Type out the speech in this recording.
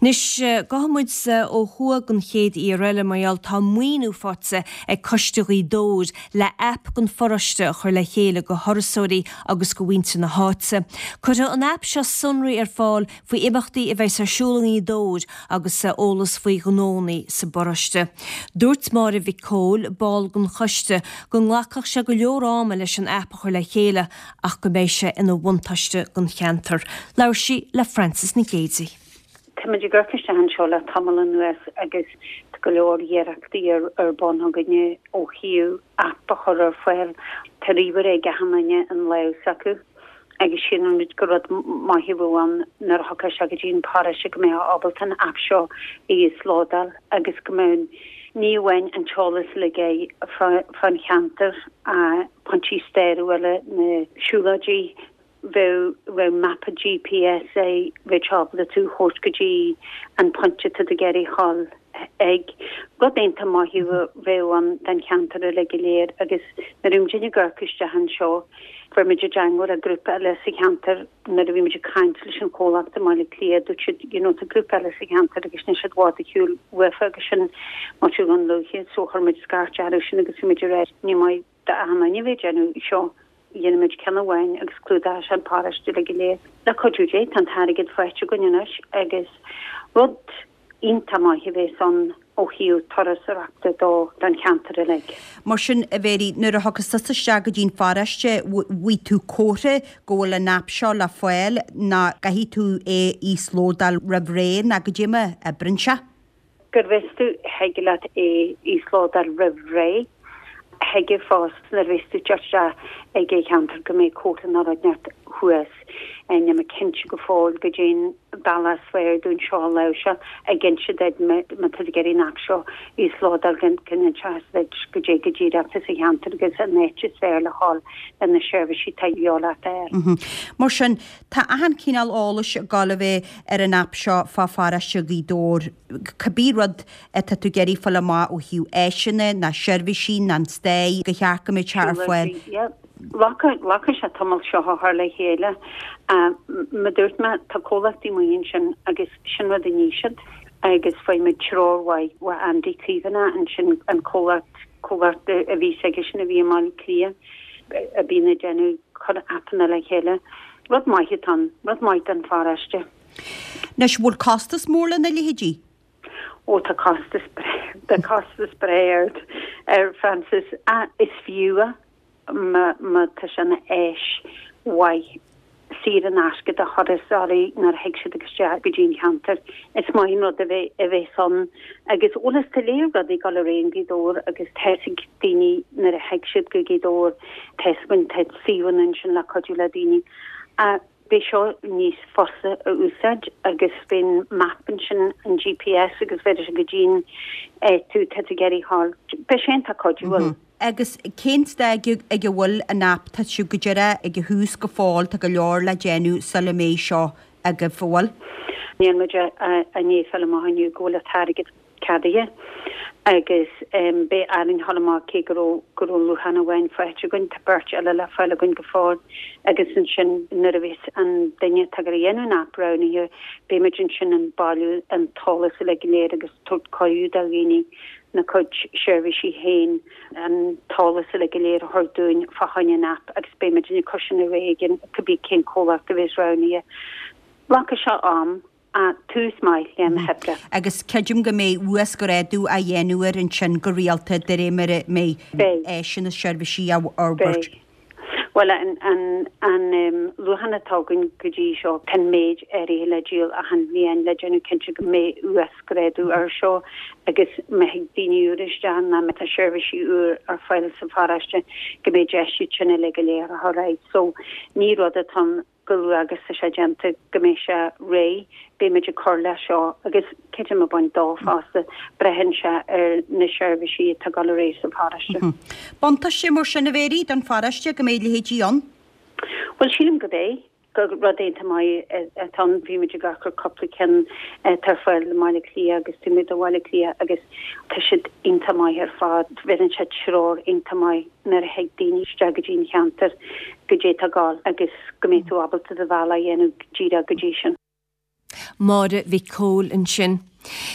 Anois, gabhfaidh muid ó thuaidh don chéad mhír eile mar gheall tá maoiniú faighte ag Coiste Ghaoth Dobhair le aip don pharóiste a chur le chéile do thurasóirí agus do mhuintir na háite. Cuirfidh an aip seo sonraí ar fáil faoi imeachtaí a bheas ar siúl i nGaoth Dobhair agus eolas faoi ghnónnaí sa bparóiste. Dúirt Máire Mhic Cóil, ball den choiste, go nglacfadh sé go leor ama leis an aip a chur le chéile ach go mbeidh sé ina bhuntáiste don cheantar. Labhair sí le Frances Nic Géidigh. Táimid ag amharc isteach anseo le tamall anuas agus tá go leor iarrachtaí ar bun againne ó thaobh aip a chur ar fáil. Tá ríomhaire ag achan duine in lámh s'acu agus síleann muid gur rud maith a bheadh ann nuair a thiocfá isteach go dtí an paróiste go mbeifeá ábalta an aip seo a íoslódáil agus go mbeadh ní amháin an t-eolas uilig fán cheantar pointí stairiúla, na siúlóidí, bheadh bheadh mapa GPS é, bheadh sé ábalta tú a thabhairt go dtí an pointe atá tú ag iarraidh a ghabháil ag. Rud iontach maith a bheadh ann don cheantar uilig go léir agus nuair a bhí muidinne ag amharc isteach anseo, fuair muid i dteangmháil le grúpa eile sa cheantar nuair a bhí muid ag caint leis an chomhlacht i mBaile Átha Cliath, dúirt siad you know tá grúpa eile sa cheantar agus níl siad i bhfad ar shiúl uafa agus sin Maitiú Dhún Lúiche so chuir muid scairt orthu sin agus bhí muid ag rá ní maith d'achan duine a bheith ag déanamh seo, dhéanfaidh muid ceann amháin agus clúdóidh sé an paróiste uilig go léir. Le cuidiú Dé tá an t-airgead faighte againn anois agus rud iontach maith a bheas ann ó thaobh turasóireachta dó don cheantar uilig. Mar sin, a Mhary, nuair a thiocfas tusa isteach go dtí'n pharóiste, bhfaighidh tú comhartha go bhfuil an aip seo le fáil ná caithfidh tú é íoslódáil roimh ré ná goidé mar a oibreann sé? Go bhfios dom thig leat é íoslódáil roimh ré. Thig fosta nuair a bheas tú ag teacht isteach ag an cheantar go mbeidh comhartha nó rud inteacht thuas. Níl mé cinnte go fóill goidé'n bealach is fearr dúinn seo a láimhseáil ag inse duit má tá tú ag iarraidh an aip seo íoslódáil go n-inseoidh sé duit goidé go díreach atá sa cheantar agus an áit is fearr le dhul le na seirbhísí atá de dhíobháil ort a fháil. Mar sin, tá achan chineál eolais ag gabháil a bheith ar an aip seo fá pharóiste Ghaoth Dobhair. Cibé rud atá tú ag iarraidh fáil amach ó thaobh áiseanna ná seirbhísí ná an stair, go cheart go mbeadh sé ar fáil. Glacfaidh sé tamall seo a chur le chéile. Mar a dúirt mé, tá comhlachtaí amuigh ansin agus sin rud a ní siad agus fuair muid treoir mhaith ó Andy Caomhánach ansin, an comhlacht, comhlacht a bhí s'aigesean a bhí i mBaile Átha Cliath a bhíonn ag déanamh, cur aipeanna le chéile. Rud maith atá ann, rud maith don pharóiste. Anois, bhfuil costas mór lena leithéidí? Ó tá costas, tá costas breá air Frances. Is fiú é má tá sé ina áis mhaith saor in aisce do thurasóirí nuair a thig siad isteach go dtí an cheantar. Is maith an rud a bheith a bheas ann agus bhuel is tá léir rudaí ag dul ar aghaidh i nGaoth Dobhair agus tá fhios ag daoine nuair a thig siad go Gaoth Dobhair tá fhios againn tá suíomhanna ansin le cuidiú le daoine. Beidh seo níos fusa a úsáid agus beidh an map ansin, an GPS agus bhéarfaidh sé go dtí'n áit tú tá tú ag iarraidh a ghabháil. Beidh sé iontach cuidiúil. Agus cén staid ag a bhfuil an aip? Tá sibh go díreach ag an thús go fóill, tá go leor le déanamh sula mbeidh seo agaibh, an bhfuil? Níl muid i ndiaidh fáil amach inniu go bhfuil an t-airgead ceadaithe agus beidh orainn a ghabháil amach cé go raibh go raibh luachan amháin faighte againn, tá beirt eile le fáil againn go fóill agus ansin nuair a bheas an duine atá ag goil a dhéanamh an aip roghnaithe beidh muid ansin ag bailiú an t-eolas uilig go léir agus tabhairt cuireadh do dhaoine na cuid seirbhísí féin an t-eolas uilig go léir a thabhairt dúinn fá choinne an aip agus beidh muid ag cur sin ar aghaidh ag cibé cén comhlacht a bheas roghnaithe. Glacfaidh sé am. Tús maith le na hoibre. Agus creidim go mbeidh uasghrádú á dhéanamh air ansin go rialta de réir mar a mbeidh áiseanna is seirbhísí á bhforbairt. Beidh. Bhuel, an luachan atá againn go dtí seo, tá an méid áirithe le díol achan bhliain le déanamh cinnte go mbeidh uasghrádú air seo agus má thig daoine úra isteach nó má tá seirbhísí úr ar fáil sa pharóiste go mbeidh deis iad sin uilig go léir a chur ar aghaidh. So, ní rud atá ann go luath agus tá sé déanta go mbeidh sé réidh, beidh muid ag cur leis seo agus creidim ag baint dó fosta, braitheann sé ar na seirbhísí atá ag dul ar aghaidh sa pharóiste. Buntáiste mar sin, a Mhary, don pharóiste go mbeidh leithéidí ann? Bhuel, sílim go mbeidh, gur rud iontach maith atá ann. Bhí muid ag amharc ar cúpla ceann atá ar fáil i mBaile Átha Cliath agus taobh amuigh de Bhaile Átha Cliath agus tá siad iontach maith ar fad. Bheireann sé treoir iontach maith nuair a thig daoine isteach go dtí an cheantar goidé atá ag gabháil agus go mbeidh tú ábalta do bhealach a dhéanamh díreach go dtí sin. Máire Mhic Cóil ansin.